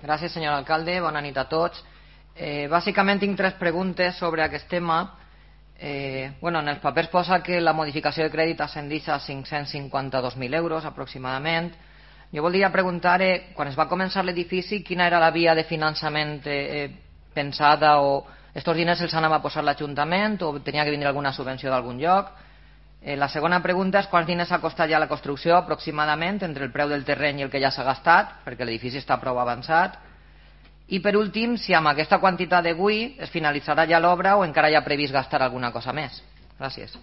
Gràcies, senyor alcalde. Bona nit a tots. Bàsicament tinc 3 preguntes sobre aquest tema. En els papers posa que la modificació de crèdit ascendeix a 552.000 euros aproximadament. Jo voldria preguntar, quan es va començar l'edifici, quina era la via de finançament pensada, o estos diners els anava a posar l'Ajuntament o tenia que vindre alguna subvenció d'algun lloc? La segona pregunta és quants diners ha costat ja la construcció aproximadament entre el preu del terreny i el que ja s'ha gastat, perquè l'edifici està prou avançat. I per últim, si amb aquesta quantitat d'avui es finalitzarà ja l'obra o encara hi ha previst gastar alguna cosa més. Gràcies.